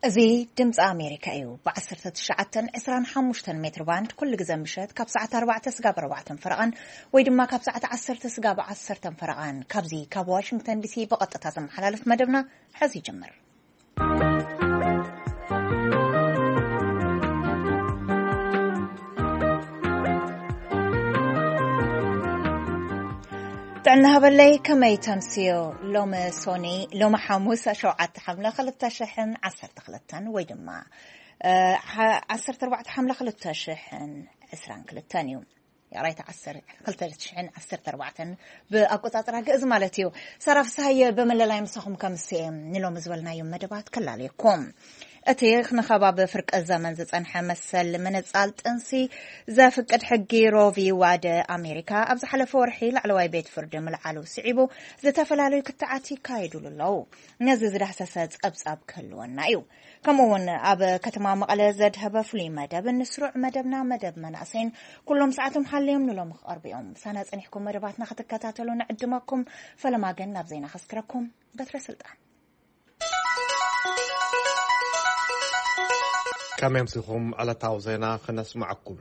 እዚ ድምፂ ኣሜሪካ እዩ። ብ19፣ 25 ሜትር ባንድ ኩሉ ግዜ ምሸት ካብ ሰዓት ኣርባዕተ ስጋብ ኣርባዕተን ፈረቓን ወይ ድማ ካብ ሰዓት ዓሰርተ ስጋብ ዓሰርተን ፈረቓን ካብዚ ካብ ዋሽንግተን ዲሲ ብቐጥታ ዝመሓላለፍ መደብና ሕዚ ይጅምር። ጥዕና ሃበለይ፣ ከመይ ተምስዮ? ሎሚ ሶኒ፣ ሎሚ ሓሙስ ሸውዓተ ሓምለ ክልተ ሽሕን ዓሰርተ ክልተን ወይ ድማ፣ እ፣ ሓ-፣ ዓሰርተ ኣርባዕተ ሓምለ ክልተ ሽሕን ዕስራን ክልተን እዩ። ይቕሬታ፣ ዓሰርተ፣ ክልተ ሽሕን ዓሰርተ ኣርባዕተን ብኣቆጻጽራ ግእዝ ማለት እዩ። ሳራ ፍስሃየ ብምልላይ ምሳኹም ከምስየ ንሎሚ ዝበልናዮም መደባት ክላለየኩም። እቲ ንኸባቢ ፍርቂ ዘመን ዝጸንሐ መሰል ምንጻል ጥንሲ ዘፍቅድ ሕጊ ሮቪ ዋደ ኣሜሪካ ኣብ ዝሓለፈ ወርሒ ላዕለዋይ ቤት ፍርዲ ምልዓሉ ስዒቡ ዝተፈላለዩ ክትዓት ይካየዱሉ ኣለዉ። ነዚ ዝዳህሰሰ ጸብጻብ ክህልወና እዩ። ከምኡ እውን ኣብ ከተማ መቐለ ዘድሀበ ፍሉይ መደብ ንስሩዕ መደብና መደብ መናእሰይን ኩሎም ሰዓቶም ሓልዮም ንሎሚ ክቐርቡ እዮም። ምሳና ጸኒሕኩም መደባትና ክትከታተሉ ንዕድመኩም። ፈለማ ግን ናብ ዜና ከስክረኩም። በትረ ስልጣን። ከመይ ኣምሲኹም? ዕለታዊ ዜና ክነስምዐኩም።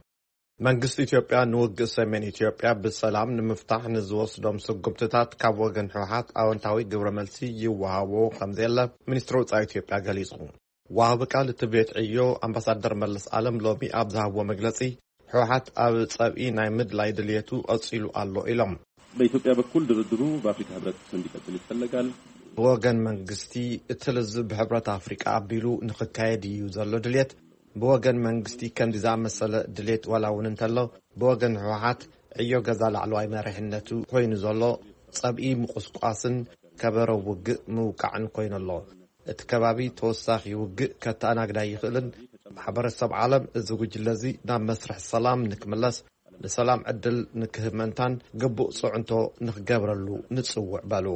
መንግስቲ ኢትዮጵያ ንውግእ ሰሜን ኢትዮጵያ ብሰላም ንምፍታሕ ንዝወስዶም ስጉምትታት ካብ ወገን ህወሓት ኣወንታዊ ግብረ መልሲ ይወሃቦ ከም ዘየለ ሚኒስትሪ ወጻኢ ኢትዮጵያ ገሊጹ። ወሃቢ ቃል እቲ ቤት ዕዮ ኣምባሳደር መለስ ኣለም ሎሚ ኣብ ዝሃብዎ መግለጺ፣ ህወሓት ኣብ ጸብኢ ናይ ምድላይ ድልየቱ ቀጺሉ ኣሎ ኢሎም። በኢትዮጵያ በኩል ድርድሩ በአፍሪካ ህብረት እንዲቀጥል ይፈለጋል። ብወገን መንግስቲ፣ እቲ ልዝብ ብሕብረት ኣፍሪቃ ኣቢሉ ንኽካየድ እዩ ዘሎ ድልየት። ብወገን መንግስቲ ከምዚ ዝኣመሰለ ድሌት ዋላ እውን እንተሎ፣ ብወገን ህወሓት ዕዮ ገዛ ላዕለዋይ መሪሕነቱ ኮይኑ ዘሎ ጸብኢ ምቁስቋስን ከበሮ ውግእ ምውቃዕን ኮይኑ ኣሎ። እቲ ከባቢ ተወሳኺ ውግእ ከተኣናግዳ ይኽእልን ማሕበረሰብ ዓለም እዚ ጉጅለ እዚ ናብ መስርሕ ሰላም ንክምለስ ንሰላም ዕድል ንክህብ መንታን ግቡእ ጽዕንቶ ንክገብረሉ ንጽውዕ በሉ።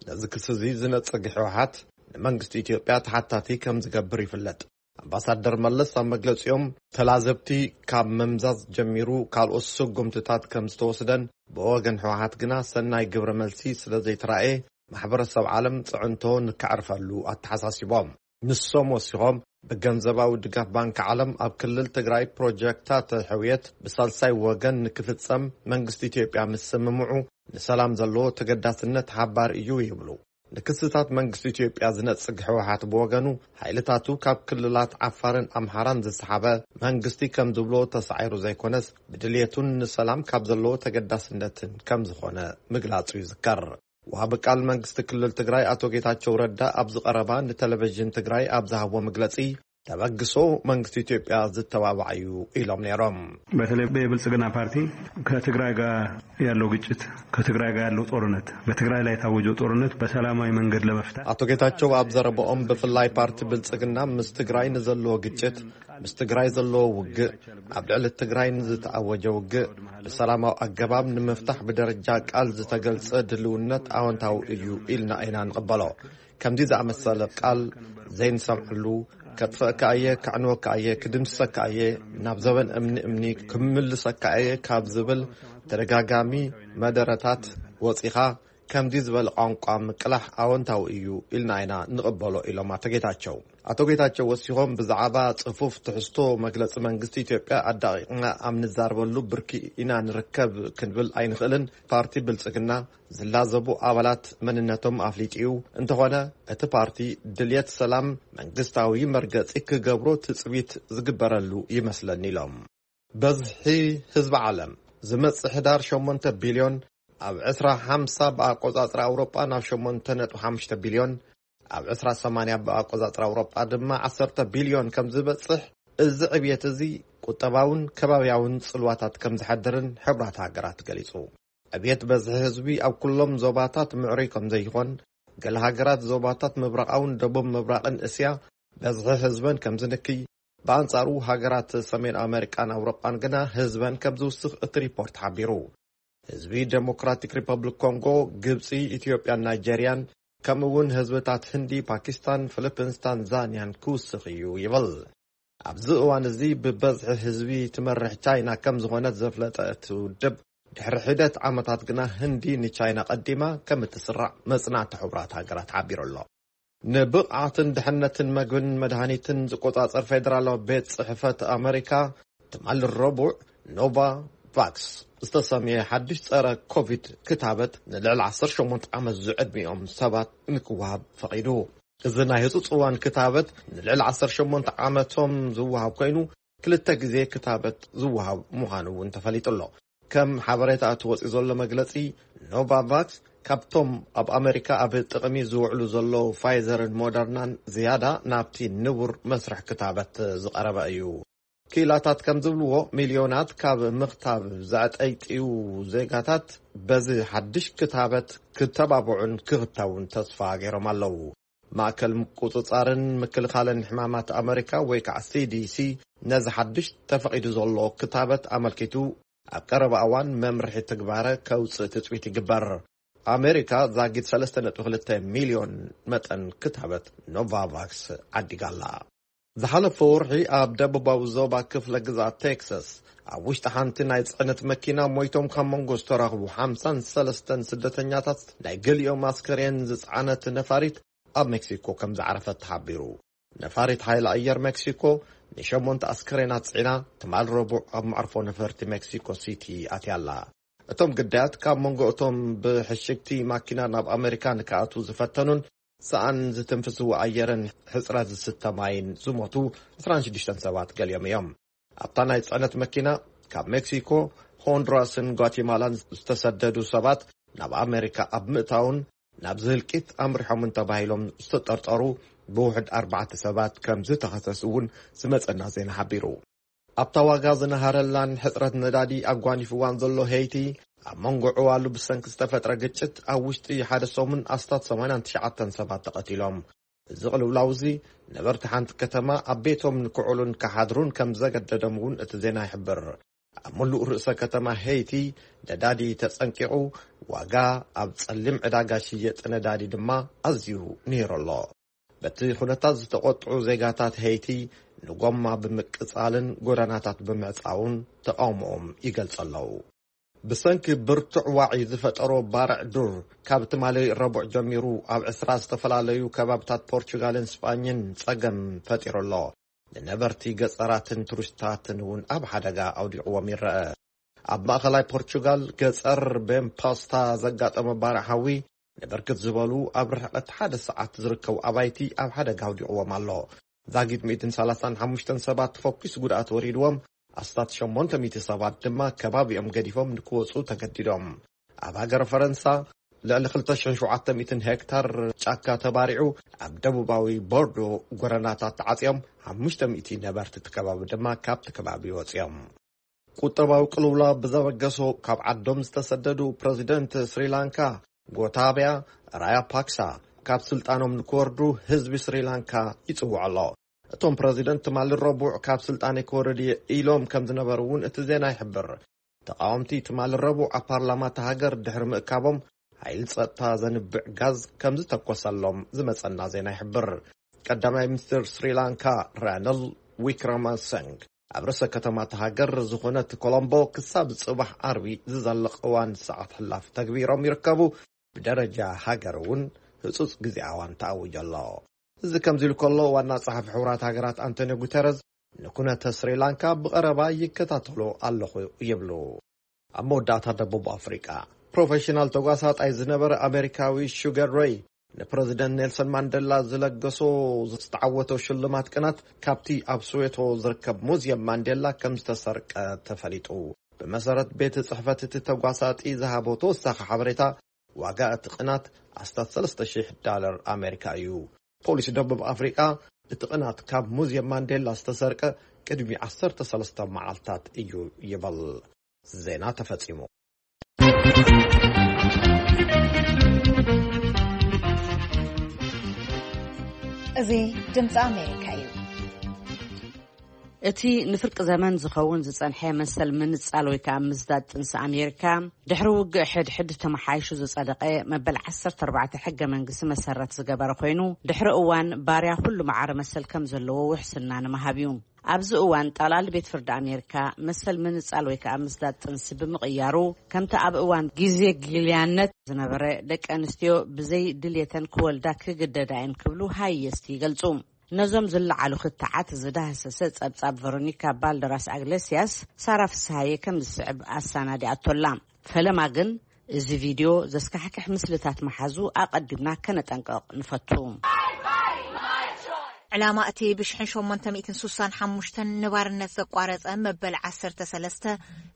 ነዚ ክሲ እዚ ዝነጽግ ህወሓት ንመንግስቲ ኢትዮጵያ ተሓታቲ ከም ዝገብር ይፍለጥ። ኣምባሳደር መለስ ኣብ መግለጺኦም፣ ተላዘብቲ ካብ ምምዛዝ ጀሚሩ ካልኦት ስጉምትታት ከም ዝተወስደን ብወገን ህወሓት ግና ሰናይ ግብረ መልሲ ስለ ዘይተራእየ ማሕበረሰብ ዓለም ጽዕንቶ ንከዕርፈሉ ኣተሓሳሲቦም። ንሶም ወሲኾም፣ ብገንዘባዊ ድጋፍ ባንኪ ዓለም ኣብ ክልል ትግራይ ፕሮጀክታት ሕውየት ብሳልሳይ ወገን ንክፍጸም መንግስቲ ኢትዮጵያ ምስ ስምምዑ ንሰላም ዘለዎ ተገዳስነት ሓባር እዩ ይብሉ። ንክስታት መንግስቲ ኢትዮጵያ ዝነጽግ ህወሓት ብወገኑ፣ ሓይልታቱ ካብ ክልላት ዓፋርን ኣምሓራን ዝሰሓበ መንግስቲ ከም ዝብሎ ተሳዒሩ ዘይኮነስ፣ ብድልየቱን ንሰላም ካብ ዘለዎ ተገዳስነትን ከም ዝኾነ ምግላጹ ይዝከር። ወሃቢ ቃል መንግስቲ ክልል ትግራይ ኣቶ ጌታቸው ረዳ ኣብዚ ቀረባ ንቴሌቪዥን ትግራይ ኣብ ዝሃብዎ መግለጺ፣ ተበግሶ መንግስቲ ኢትዮጵያ ዝተባባዕ እዩ ኢሎም ነይሮም። በተለይ የብልጽግና ፓርቲ ከትግራይ ጋር ያለው ግጭት፣ ከትግራይ ጋር ያለው ጦርነት፣ በትግራይ ላይ የታወጀው ጦርነት በሰላማዊ መንገድ ለመፍታት። ኣቶ ጌታቸው ኣብ ዘረባኦም፣ ብፍላይ ፓርቲ ብልጽግና ምስ ትግራይ ንዘለዎ ግጭት፣ ምስ ትግራይ ዘለዎ ውግእ፣ ኣብ ልዕሊ ትግራይ ንዝተኣወጀ ውግእ ብሰላማዊ ኣገባብ ንምፍታሕ ብደረጃ ቃል ዝተገልጸ ድልውነት ኣወንታዊ እዩ ኢልና ኢና ንቕበሎ። ከምዚ ዝኣመሰለ ቃል ዘይንሰምዐሉ፣ ከጥፍአካ እየ፣ ከዕንወካ እየ፣ ክድምስሰካ እየ፣ ናብ ዘበን እምኒ እምኒ ክምልሰካ እየ ካብ ዝብል ተደጋጋሚ መደረታት ወጺኻ፣ ከምዚ ዝበለ ቋንቋ ምቅላሕ ኣወንታዊ እዩ ኢልና ኢና ንቕበሎ ኢሎም ኣቶ ጌታቸው። ኣቶ ጌታቸው ወሲኾም፣ ብዛዕባ ጽፉፍ ትሕዝቶ መግለጺ መንግስቲ ኢትዮጵያ ኣዳቒቕና ኣብ ንዛረበሉ ብርኪ ኢና ንርከብ ክንብል ኣይንኽእልን። ፓርቲ ብልጽግና ዝላዘቡ ኣባላት መንነቶም ኣፍሊጡ እዩ። እንተኾነ እቲ ፓርቲ ድልየት ሰላም መንግስታዊ መርገጺ ክገብሮ ትጽቢት ዝግበረሉ ይመስለኒ ኢሎም። በዝሒ ህዝቢ ዓለም ዝመጽእ ሕዳር ሸሞንተ ቢልዮን፣ ኣብ ዕስራ ሓምሳ ብኣቆጻጽራ ኣውሮጳ ናብ ሸሞንተ ነጥቢ ሓሙሽተ ቢልዮን፣ ኣብ ዕስራ ሰማንያ ብኣቆጻጽራ ኣውሮጳ ድማ ዓሰርተ ቢልዮን ከም ዝበጽሕ፣ እዚ ዕብየት እዚ ቁጠባውን ከባብያውን ጽልዋታት ከም ዝሓድርን ሕቡራት ሃገራት ገሊጹ። ዕብየት በዝሒ ህዝቢ ኣብ ኩሎም ዞባታት ምዕሩይ ከም ዘይኾን፣ ገለ ሃገራት ዞባታት ምብራቓውን ደቡብ ምብራቕን እስያ በዝሒ ህዝበን ከም ዝንክይ፣ ብኣንጻሩ ሃገራት ሰሜን ኣመሪቃን ኣውሮጳን ግና ህዝበን ከም ዝውስኽ እቲ ሪፖርት ሓቢሩ። ህዝቢ ዴሞክራቲክ ሪፐብሊክ ኮንጎ፣ ግብጺ፣ ኢትዮጵያን ናይጄርያን፣ ከምኡ እውን ህዝብታት ህንዲ፣ ፓኪስታን፣ ፊሊፒንስ፣ ታንዛንያን ክውስኽ እዩ ይብል። ኣብዚ እዋን እዚ ብበዝሒ ህዝቢ ትመርሕ ቻይና ከም ዝኾነት ዘፍለጠ እቲ ውድብ፣ ድሕሪ ሒደት ዓመታት ግና ህንዲ ንቻይና ቀዲማ ከም እትስራዕ መጽናዕቲ ሕቡራት ሃገራት ሓቢሩ ኣሎ። ንብቕዓትን ድሕነትን መግብን መድሃኒትን ዝቆጻጸር ፌደራላዊ ቤት ጽሕፈት ኣመሪካ፣ ትማሊ ረቡዕ ኖቫ ቫክስ ዝተሰምየ ሓድሽ ጸረ ኮቪድ ክታበት ንልዕሊ ዓሰርተ ሸሞንተ ዓመት ዝዕድሚኦም ሰባት ንክወሃብ ፈቒዱ። እዚ ናይ ህጹጽ እዋን ክታበት ንልዕሊ ዓሰርተ ሸሞንተ ዓመቶም ዝወሃብ ኮይኑ፣ ክልተ ግዜ ክታበት ዝወሃብ ምዃኑ እውን ተፈሊጡ ኣሎ። ከም ሓበሬታ እቲ ወፂኡ ዘሎ መግለፂ፣ ኖቫቫክስ ካብቶም ኣብ ኣመሪካ ኣብ ጥቕሚ ዝውዕሉ ዘለዉ ፋይዘርን ሞደርናን ዝያዳ ናብቲ ንቡር መስርሕ ክታበት ዝቐረበ እዩ። ክኢላታት ከም ዝብልዎ፣ ሚልዮናት ካብ ምኽታብ ዘዕጠይጥዩ ዜጋታት በዚ ሓድሽ ክታበት ክተባብዑን ክኽተቡን ተስፋ ገይሮም ኣለዉ። ማእከል ምቁጽጻርን ምክልኻልን ሕማማት ኣመሪካ ወይ ከዓ ሲ ዲ ሲ ነዚ ሓድሽ ተፈቒዱ ዘሎ ክታበት ኣመልኪቱ ኣብ ቀረባ እዋን መምርሒ ትግባረ ከውፅእ ትፅቢት ይግበር። ኣሜሪካ ዛጊድ ሰለስተ ነጥቢ ክልተ ሚልዮን መጠን ክታበት ኖቫቫክስ ዓዲጋ ኣላ። ዝሓለፈ ወርሒ ኣብ ደቡባዊ ዞባ ክፍለ ግዝኣት ቴክሳስ ኣብ ውሽጢ ሓንቲ ናይ ጽዕነት መኪና ሞይቶም ካብ መንጎ ዝተረኽቡ ሓምሳን ሰለስተን ስደተኛታት ናይ ገሊኦም ኣስከሬን ዝጸዓነት ነፋሪት ኣብ ሜክሲኮ ከም ዝዓረፈት ተሓቢሩ። ነፋሪት ሓይሊ ኣየር ሜክሲኮ ንሸሞንተ ኣስከሬናት ጽዒና ትማል ረቡዕ ኣብ መዕርፎ ነፈርቲ ሜክሲኮ ሲቲ ኣትያ ኣላ። እቶም ግዳያት ካብ መንጎ እቶም ብሕሽግቲ ማኪና ናብ ኣመሪካ ንክኣትዉ ዝፈተኑን ሰኣን ዝትንፍስዎ ኣየርን ሕጽረት ዝስተ ማይን ዝሞቱ ዕስራን ሽዱሽተን ሰባት ገሊኦም እዮም። ኣብታ ናይ ጽዕነት መኪና ካብ ሜክሲኮ፣ ሆንዱራስን ጓቲማላን ዝተሰደዱ ሰባት ናብ ኣመሪካ ኣብ ምእታውን ናብ ዝህልቂት ኣምሪሖምን ተባሂሎም ዝተጠርጠሩ ብውሕድ ኣርባዕተ ሰባት ከም ዝተኸሰሱ እውን ዝመጸና ዜና ሓቢሩ። ኣብታ ዋጋ ዝነሃረላን ሕጽረት ነዳዲ ኣጓኒፍዋን ዘሎ ሄይቲ፣ ኣብ መንጎ ዕዋሉ ብሰንኪ ዝተፈጥረ ግጭት ኣብ ውሽጢ ሓደ ሰሙን ኣስታት ሰማንያን ትሽዓተን ሰባት ተቐቲሎም። እዚ ቅልውላው እዚ ነበርቲ ሓንቲ ከተማ ኣብ ቤቶም ንክዕሉን ክሓድሩን ከም ዘገደዶም እውን እቲ ዜና ይሕብር። ኣብ ምሉእ ርእሰ ከተማ ሄይቲ ነዳዲ ተጸንቂቑ፣ ዋጋ ኣብ ጸሊም ዕዳጋ ሽየጥ ነዳዲ ድማ ኣዝዩ ንሂሩ ኣሎ። በቲ ኩነታት ዝተቖጥዑ ዜጋታት ሄይቲ ንጎማ ብምቅጻልን ጎደናታት ብምዕጻውን ተቓውሞኦም ይገልጹ ኣለዉ። ብሰንኪ ብርቱዕ ዋዒ ዝፈጠሮ ባርዕ ዱር፣ ካብ ትማሊ ረቡዕ ጀሚሩ ኣብ ዕስራ ዝተፈላለዩ ከባብታት ፖርቹጋልን ስጳኝን ጸገም ፈጢሩ ኣሎ። ንነበርቲ ገጸራትን ቱሪስታትን እውን ኣብ ሓደጋ ኣውዲቕዎም ይረአ። ኣብ ማእኸላይ ፖርቹጋል ገጸር ቤምፓስታ ዘጋጠመ ባርዕ ሓዊ ንብርክት ዝበሉ ኣብ ርሕቀት ሓደ ሰዓት ዝርከቡ ኣባይቲ ኣብ ሓደጋ ኣውዲቕዎም ኣሎ። ዛጊድ ሚእትን ሰላሳን ሓሙሽተን ሰባት ፈኲስ ጉድኣት ወሪድዎም፣ ኣስታት ሸሞንተ ሚእቲ ሰባት ድማ ከባቢኦም ገዲፎም ንክወጹ ተገዲዶም። ኣብ ሃገረ ፈረንሳ ልዕሊ ክልተ ሽሕን ሸውዓተ ሚእትን ሄክታር ጫካ ተባሪዑ፣ ኣብ ደቡባዊ ቦርዶ ጎረናታት ተዓጽዮም፣ ሓሙሽተ ሚእቲ ነበርቲ እቲ ከባቢ ድማ ካብቲ ከባቢ ወጺኦም። ቁጠባዊ ቅልውላው ብዘበገሶ ካብ ዓዶም ዝተሰደዱ ፕረዚደንት ስሪላንካ ጎታብያ ራያፓክሳ ካብ ስልጣኖም ንክወርዱ ህዝቢ ስሪላንካ ይጽውዕ ኣሎ። እቶም ፕረዚደንት ትማሊ ረቡዕ ካብ ስልጣነይ ክወርድ እየ ኢሎም ከም ዝነበሩ እውን እቲ ዜና ይሕብር። ተቃወምቲ ትማሊ ረቡዕ ኣብ ፓርላማ እታ ሃገር ድሕሪ ምእካቦም፣ ሓይሊ ጸጥታ ዘንብዕ ጋዝ ከም ዝተኮሰሎም ዝመጸና ዜና ይሕብር። ቀዳማይ ሚኒስትር ስሪላንካ ራኒል ዊክረማሰንግ ኣብ ርእሰ ከተማ እታ ሃገር ዝኾነት ኮሎምቦ ክሳብ ጽባሕ ዓርቢ ዝዘልቕ እዋን ሰዓት ሕላፍ ተግቢሮም ይርከቡ። ብደረጃ ሃገር እውን ህጹጽ ግዜ ኣዋን ተኣዊጁ ኣሎ። እዚ ከምዚ ኢሉ ከሎ፣ ዋና ጸሓፊ ሕቡራት ሃገራት ኣንቶኒዮ ጉተረዝ ንኩነተ ስሪላንካ ብቐረባ ይከታተሎ ኣለኹ ይብሉ። ኣብ መወዳእታ፣ ደቡብ ኣፍሪቃ ፕሮፌሽናል ተጓሳጣይ ዝነበረ ኣሜሪካዊ ሹገር ሬይ ንፕረዚደንት ኔልሰን ማንዴላ ዝለገሶ ዝተዓወቶ ሽልማት ቅናት ካብቲ ኣብ ስዌቶ ዝርከብ ሙዝየም ማንዴላ ከም ዝተሰርቀ ተፈሊጡ። ብመሰረት ቤት ጽሕፈት እቲ ተጓሳጢ ዝሃቦ ተወሳኺ ሓበሬታ፣ ዋጋ እቲ ቅናት ኣስታት ሰለስተ ሽሕ ዳለር ኣሜሪካ እዩ። ፖሊስ ደቡብ ኣፍሪቃ እቲ ቅናት ካብ ሙዝየም ማንዴላ ዝተሰርቀ ቅድሚ ዓሰርተ ሰለስተ መዓልታት እዩ ይብል። ዜና ተፈጺሙ። እዚ ድምፂ ኣሜሪካ እዩ። እቲ ንፍርቂ ዘመን ዝኸውን ዝጸንሐ መሰል ምንጻል ወይ ከኣ ምዝዳድ ጥንሲ ኣሜሪካ፣ ድሕሪ ውግእ ሕድሕድ ተመሓይሹ ዝጸደቐ መበል ዓሰርተ ኣርባዕተ ሕገ መንግስቲ መሰረት ዝገበረ ኮይኑ፣ ድሕሪ እዋን ባርያ ኩሉ መዓረ መሰል ከም ዘለዎ ውሕስና ንምሃብ እዩ። ኣብዚ እዋን ጠቕላሊ ቤት ፍርዲ ኣሜሪካ መሰል ምንጻል ወይ ከኣ ምዝዳድ ጥንሲ ብምቕያሩ፣ ከምቲ ኣብ እዋን ግዜ ጊልያነት ዝነበረ፣ ደቂ ኣንስትዮ ብዘይ ድልየተን ክወልዳ ክግደዳ እየን ክብሉ ሃየስቲ ይገልጹ። ነዞም ዝለዓሉ ክትዓት ዝዳህሰሰ ጸብጻብ ቨሮኒካ ባልደራስ ኣግለስያስ፣ ሳራ ፍስሃየ ከም ዝስዕብ ኣሰናዲኣቶላ። ፈለማ ግን፣ እዚ ቪድዮ ዘስካሕክሕ ምስልታት መሓዙ ኣቐዲምና ከነጠንቅቕ ንፈቱ። ዕላማ እቲ ብሽሕን ሸሞንተ ሚእትን ሱሳን ሓሙሽተን ንባርነት ዘቋረጸ መበል ዓሰርተ ሰለስተ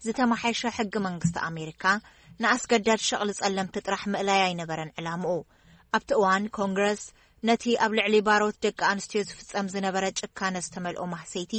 ዝተመሓየሸ ሕጊ መንግስቲ ኣሜሪካ፣ ንኣስገዳድ ሸቕሊ ጸለምቲ ጥራሕ ምእላይ ኣይነበረን ዕላምኡ። ኣብቲ እዋን፣ ኮንግረስ ነቲ ኣብ ልዕሊ ባሮት ደቂ ኣንስትዮ ዝፍጸም ዝነበረ ጭካነ ዝተመልኦ ማህሰይቲ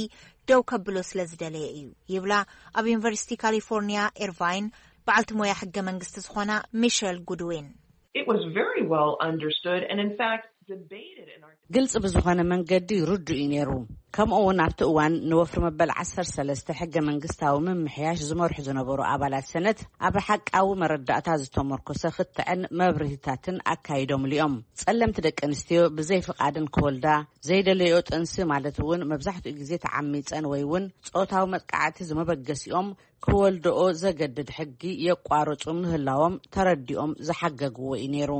ደው ከብሎ ስለ ዝደለየ እዩ ይብላ፣ ኣብ ዩኒቨርሲቲ ካሊፎርኒያ ኤርቫይን በዓልቲ ሞያ ሕገ መንግስቲ ዝኾና ሚሸል ጉድዊን። It was very well understood, and in fact, debated in our ግልጽ ብዝኾነ መንገዲ ርዱእ እዩ ነይሩ። ከምኡ እውን ኣብቲ እዋን ንወፍሪ መበል ዓሰርተ ሰለስተ ሕገ መንግስታዊ ምምሕያሽ ዝመርሑ ዝነበሩ ኣባላት ሰነት፣ ኣብ ሓቃዊ መረዳእታ ዝተመርኮሰ ክትዕን መብርሂታትን ኣካይዶምሉ እዮም። ጸለምቲ ደቂ ኣንስትዮ ብዘይ ፍቓድን ክወልዳ፣ ዘይደለዮ ጥንሲ ማለት እውን መብዛሕትኡ ግዜ ተዓሚጸን ወይ እውን ጾታዊ መጥቃዕቲ ዝመበገሲኦም ክወልድኦ ዘገድድ ሕጊ የቋርጹ ምህላዎም ተረዲኦም ዝሓገግዎ እዩ ነይሩ።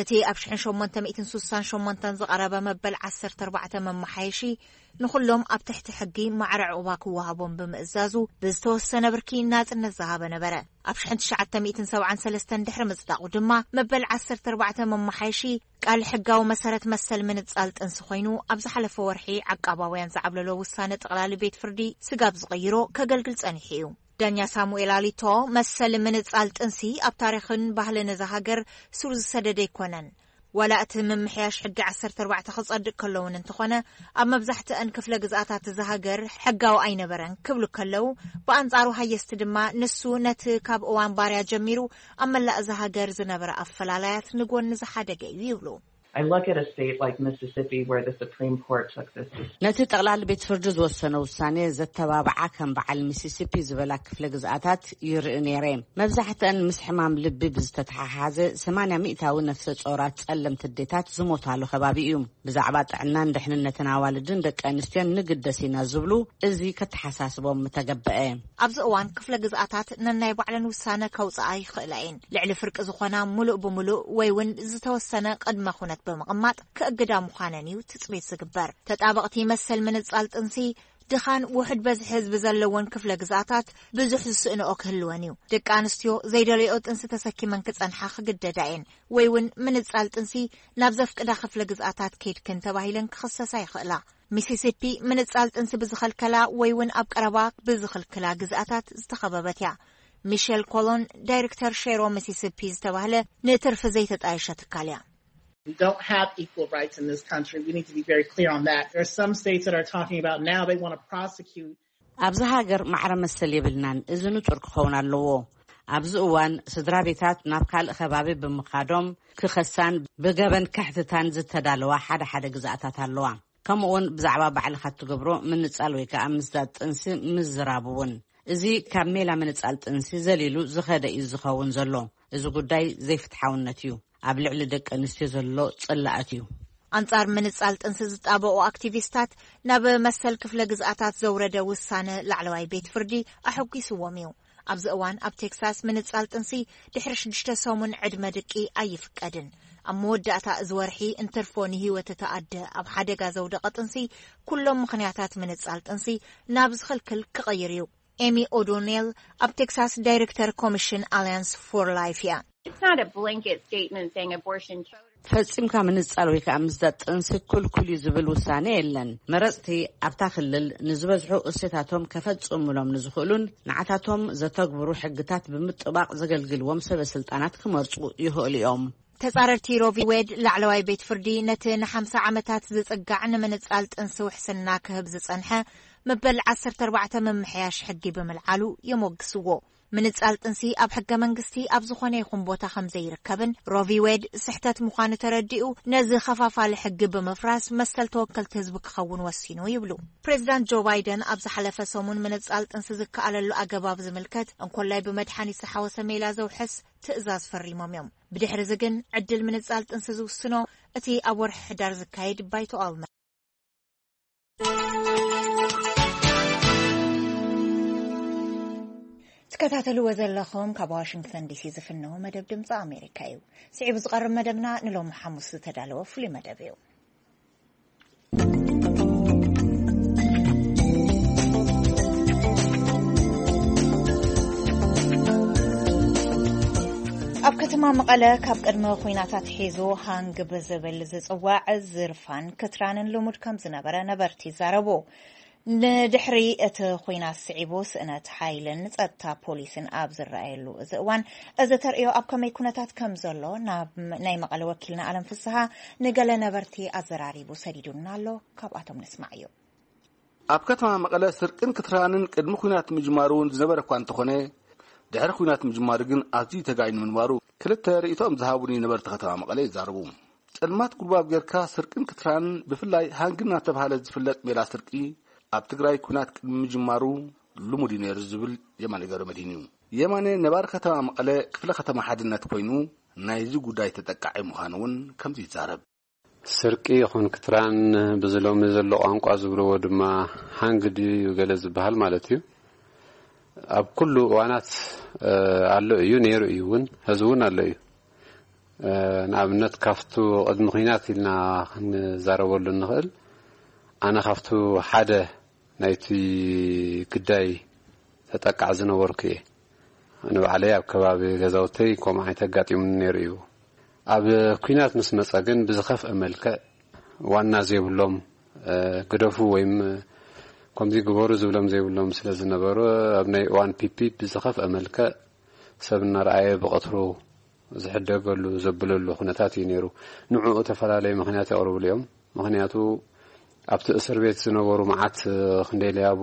እቲ ኣብ ሽሕን ሸሞንተ ሚእትን ሱሳን ሸሞንተን ዝቐረበ መበል ዓሰርተ ኣርባዕተ መመሓየሺ፣ ንኹሎም ኣብ ትሕቲ ሕጊ ማዕረ ዕቑባ ክወሃቦም ብምእዛዙ፣ ብዝተወሰነ ብርኪ ናጽነት ዝሃበ ነበረ። ኣብ ሽሕን ትሽዓተ ሚእትን ሰብዓን ሰለስተን ድሕሪ ምጽዳቑ ድማ፣ መበል ዓሰርተ ኣርባዕተ መመሓየሺ ቃል ሕጋዊ መሰረት መሰል ምንጻል ጥንሲ ኮይኑ፣ ኣብ ዝሓለፈ ወርሒ ዓቃባውያን ዝዓብለሎ ውሳነ ጠቕላሊ ቤት ፍርዲ ስጋብ ዝቐይሮ ከገልግል ጸኒሑ እዩ። ዳኛ ሳሙኤል ኣሊቶ፣ መሰል ምንጻል ጥንሲ ኣብ ታሪኽን ባህልን እዛ ሃገር ሱር ዝሰደደ ኣይኮነን። ዋላ እቲ ምምሕያሽ ሕጊ ዓሰርተ ኣርባዕተ ክጸድቅ ከሎ እውን እንተኾነ፣ ኣብ መብዛሕትአን ክፍለ ግዝኣታት እዛ ሃገር ሕጋዊ ኣይነበረን ክብሉ ከለዉ፣ ብኣንጻሩ ሃየስቲ ድማ ንሱ ነቲ ካብ እዋን ባርያ ጀሚሩ ኣብ መላእ እዛ ሃገር ዝነበረ ኣፈላላያት ንጎኒ ዝሓደገ እዩ ይብሉ። I look at a state like Mississippi where the Supreme Court took this decision. ነቲ ጠቕላሊ ቤት ፍርዲ ዝወሰነ ውሳኔ ዘተባብዓ ከም በዓል ሚሲሲፒ ዝበላ ክፍለ ግዝኣታት ይርኢ ነይረ። መብዛሕትአን ምስ ሕማም ልቢ ብዝተተሓሓዘ ሰማንያ ሚእታዊ ነፍሰ ጾራት ጸለምቲ ኣዴታት ዝሞታሉ ከባቢ እዩ። ብዛዕባ ጥዕናን ድሕንነትን ኣዋልድን ደቂ ኣንስትዮን ንግደስ ኢና ዝብሉ፣ እዚ ከተሓሳስቦም ምተገበአ። ኣብዚ እዋን ክፍለ ግዝኣታት ነናይ ባዕለን ውሳነ ከውፅኣ ይኽእላ እየን። ልዕሊ ፍርቂ ዝኾና ሙሉእ ብሙሉእ ወይ እውን ዝተወሰነ ቅድመ ኩነት ብምቕማጥ ክእግዳ ምዃነን እዩ ትፅቢት ዝግበር። ተጣበቕቲ መሰል ምንፃል ጥንሲ ድኻን ውሑድ በዝሒ ህዝቢ ዘለወን ክፍለ ግዝኣታት ብዙሕ ዝስእንኦ ክህልወን እዩ። ደቂ ኣንስትዮ ዘይደለዮ ጥንሲ ተሰኪመን ክፀንሓ ክግደዳ እየን ወይ እውን ምንፃል ጥንሲ ናብ ዘፍቅዳ ክፍለ ግዝኣታት ከይድክን ተባሂለን ክኽሰሳ ይኽእላ። ሚሲሲፒ ምንጻል ጥንሲ ብዝኸልከላ ወይ እውን ኣብ ቀረባ ብዝኽልክላ ግዝኣታት ዝተኸበበት እያ። ሚሸል ኮሎን፣ ዳይሬክተር ሼሮ ሚሲሲፒ ዝተባህለ ንትርፊ ዘይተጣየሸ ትካል እያ። We don't have equal rights in this country. We need to be very clear on that. There are some states that are talking about now they want to prosecute. ኣብዚ ሃገር ማዕረ መሰል የብልናን። እዚ ንጹር ክኸውን ኣለዎ። ኣብዚ እዋን ስድራ ቤታት ናብ ካልእ ከባቢ ብምኻዶም ክኸሳን ብገበን ክሕትታን ዝተዳለዋ ሓደ ሓደ ግዝኣታት ኣለዋ። ከምኡውን ብዛዕባ ባዕልኻ እትገብሮ ምንጻል ወይ ከኣ ምዝዳድ ጥንሲ ምዝራብ እውን። እዚ ካብ ሜላ ምንጻል ጥንሲ ዘሊሉ ዝኸደ እዩ ዝኸውን ዘሎ። እዚ ጉዳይ ዘይፍትሓውነት እዩ። ኣብ ልዕሊ ደቂ ኣንስትዮ ዘሎ ጽላኣት እዩ። ኣንጻር ምንጻል ጥንሲ ዝጣበቑ ኣክቲቪስታት ናብ መሰል ክፍለ ግዝኣታት ዘውረደ ውሳነ ላዕለዋይ ቤት ፍርዲ ኣሐጒስዎም እዩ። ኣብዚ እዋን ኣብ ቴክሳስ ምንጻል ጥንሲ ድሕሪ ሽዱሽተ ሰሙን ዕድመ ድቂ ኣይፍቀድን። ኣብ መወዳእታ እዚ ወርሒ እንትርፎ ንህይወት እታ ኣደ ኣብ ሓደጋ ዘውደቐ ጥንሲ ኩሎም ምኽንያታት ምንጻል ጥንሲ ናብ ዝኽልክል ክቕይር እዩ። ኤሚ ኦዶኔል ኣብ ቴክሳስ ዳይሬክተር ኮሚሽን ኣሊያንስ ፎር ላይፍ እያ። It's not a blanket statement saying abortion ፈጺምካ ምንጻል ወይ ከኣ ምዝዳድ ጥንሲ ክልኩል እዩ ዝብል ውሳነ የለን። መረጽቲ ኣብታ ክልል ንዝበዝሑ እሴታቶም ከፈጽሙሎም ንዝኽእሉን ንዓታቶም ዘተግብሩ ሕግታት ብምጥባቕ ዘገልግልዎም ሰበ ስልጣናት ክመርጹ ይኽእሉ እዮም። ተጻረርቲ ሮቪ ዌድ ላዕለዋይ ቤት ፍርዲ ነቲ ንሓምሳ ዓመታት ዝጽጋዕ ንምንጻል ጥንሲ ውሕስና ክህብ ዝጸንሐ መበል ዓሰርተ ኣርባዕተ ምምሕያሽ ሕጊ ብምልዓሉ የሞግስዎ። ምንጻል ጥንሲ ኣብ ሕገ መንግስቲ ኣብ ዝኾነ ይኹን ቦታ ከም ዘይርከብን፣ ሮቪ ዌድ ስሕተት ምዃኑ ተረዲኡ፣ ነዚ ኸፋፋሊ ሕጊ ብምፍራስ መሰል ተወከልቲ ህዝቢ ክኸውን ወሲኑ ይብሉ። ፕሬዚዳንት ጆ ባይደን ኣብ ዝሓለፈ ሰሙን ምንጻል ጥንሲ ዝከኣለሉ ኣገባብ ዝምልከት እንኮላይ ብመድሓኒት ዝሓወሰ ሜላ ዘውሕስ ትእዛዝ ፈሪሞም እዮም። ብድሕሪ እዚ ግን ዕድል ምንጻል ጥንሲ ዝውስኖ እቲ ኣብ ወርሒ ሕዳር ዝካየድ ባይቶ ኣልመ። ትከታተልዎ ዘለኹም ካብ ዋሽንግተን ዲሲ ዝፍነው መደብ ድምፂ ኣሜሪካ እዩ። ስዒቡ ዝቐርብ መደብና ንሎሚ ሓሙስ ዝተዳለወ ፍሉይ መደብ እዩ። ኣብ ከተማ መቐለ ካብ ቅድሚ ኲናታት ሒዙ ሃንግ ብዝብል ዝጽዋዕ ዝርፋን ክትራንን ልሙድ ከም ዝነበረ ነበርቲ ይዛረቡ። ንድሕሪ እቲ ኲናት ስዒቡ ስእነት ሓይልን ጸጥታ ፖሊስን ኣብ ዝረኣየሉ እዚ እዋን፣ እዚ ተርእዮ ኣብ ከመይ ኩነታት ከም ዘሎ ናብ ናይ መቐለ ወኪልና ኣለም ፍስሃ ንገለ ነበርቲ ኣዘራሪቡ ሰዲዱና ኣሎ። ካብኣቶም ንስማዕ እዩ። ኣብ ከተማ መቐለ ስርቅን ክትራንን ቅድሚ ኲናት ምጅማሩ እውን ዝነበረ እኳ እንተኾነ፣ ድሕሪ ኲናት ምጅማሩ ግን ኣዝዩ ተጋይኑ ምንባሩ ክልተ ርእይቶኦም ዝሃቡኒ ነበርቲ ከተማ መቐለ ይዛረቡ። ጸልማት ጉልባብ ጌርካ ስርቅን ክትራንን፣ ብፍላይ ሃንግ እናተባህለ ዝፍለጥ ሜላ ስርቂ፣ ኣብ ትግራይ ኲናት ቅድሚ ምጅማሩ ልሙድ እዩ ነይሩ ዝብል የማነ ገብረመድህን እዩ። የማነ ነባሪ ከተማ መቐለ ክፍለ ከተማ ሓድነት ኮይኑ ናይዚ ጉዳይ ተጠቃዒ ምዃኑ እውን ከምዚ ይዛረብ። ስርቂ ይኹን ክትራን፣ ብዚ ሎሚ ዘሎ ቋንቋ ዝብልዎ ድማ ሃንግ ድዩ ገለ ዝበሃል ማለት እዩ። ኣብ ኩሉ እዋናት፣ እ፣ ኣሎ እዩ፣ ነይሩ እዩ እውን፣ ሕዚ እውን ኣሎ እዩ። እ፣ ንኣብነት ካብቱ ቅድሚ ኲናት ኢልና ክንዛረበሉ እንኽእል፣ ኣነ ካብቱ ሓደ ናይቲ ግዳይ ተጠቃዕ ዝነበርኩ እየ። ንባዕለይ ኣብ ከባቢ ገዛውተይ ከምኡ ዓይነት ኣጋጢሙኒ ነይሩ እዩ። ኣብ ኲናት ምስ መጸ ግን ብዝኸፍአ መልክዕ ዋና ዘይብሎም፣ እ፣ ግደፉ ወይም ከምዚ ግበሩ ዝብሎም ዘይብሎም ስለ ዝነበሩ፣ ኣብ ናይ እዋን ፒፒ ብዝኸፍአ መልክዕ ሰብ እናረኣየ ብቐትሩ ዝሕደገሉ ዘብለሉ ኩነታት እዩ ነይሩ። ንዕኡ ተፈላለየ ምኽንያት የቕርብሉ እዮም። ምኽንያቱ ኣብቲ እስር ቤት ዝነበሩ መዓት ክንደይ ለያቡ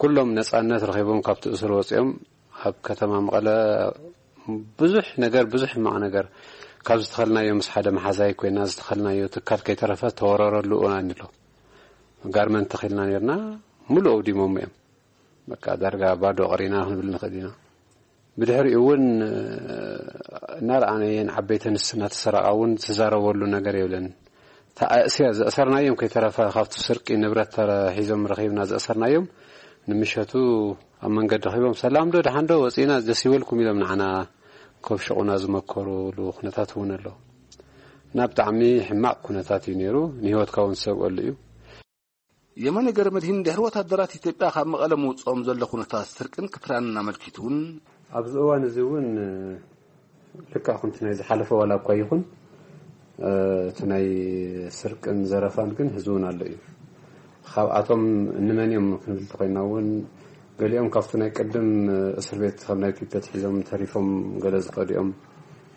ኩሎም ነጻነት ረኺቦም ካብቲ እስር ወጺኦም ኣብ ከተማ መቐለ ብዙሕ ነገር፣ ብዙሕ ሕማቕ ነገር ካብ ዝተኸልናዮ ምስ ሓደ መሓዛይ ኮይና ዝተኸልናዮ ትካል ከይተረፈ ተወረረሉ እዋን ኣሎ። ጋርመንት ተኺልና ነርና፣ ሙሉእ ኣውዲሞም እዮም። በቃ ዳርጋ ባዶ ቀሪና ክንብል ንኽእል ኢና። ብድሕሪኡ እውን፣ እ፣ እናረኣናየን ዓበይቲ ኣንስቲ እናተሰረቓ እውን ዝዛረበሉ ነገር የብለን። ተኣእስያ ዘእሰርናዮም ከይተረፈ ካብቲ ስርቂ ንብረት ተረ-፣ ሒዞም ረኺብና ዘእሰርናዮም ንምሸቱ ኣብ መንገዲ ረኺቦም፣ "ሰላም ዶ፣ ደሓን ዶ፣ ወፂእና ደስ ይበልኩም" ኢሎም ንዓና ከብሽቑና ዝመከሩሉ ኩነታት እውን ኣሎ። እና ብጣዕሚ ሕማቕ ኩነታት እዩ ነይሩ። ንህይወትካ እውን ዝሰብኣሉ እዩ። የማነ ገረመድሂን ድሕሪ ወታደራት ኢትዮጵያ ካብ መቐለ ምውፅኦም ዘሎ ኩነታት ስርቅን ክትራንን ኣመልኪቱ እውን ኣብዚ እዋን እዚ እውን፣ እ፣ ልክዕ ከምቲ ናይ ዝሓለፈ ዋላ እኳ ይኹን፣ እ፣ እቲ ናይ ስርቅን ዘረፋን ግን ሕዚ እውን ኣሎ እዩ። ካብኣቶም እንመን እዮም ክንብል እንተኾይና እውን፣ ገሊኦም ካብቲ ናይ ቅድም እስር ቤት ካብ ናይ ፒፒ ኣትሒዞም ተሪፎም ገለ ዝኸዱ እዮም።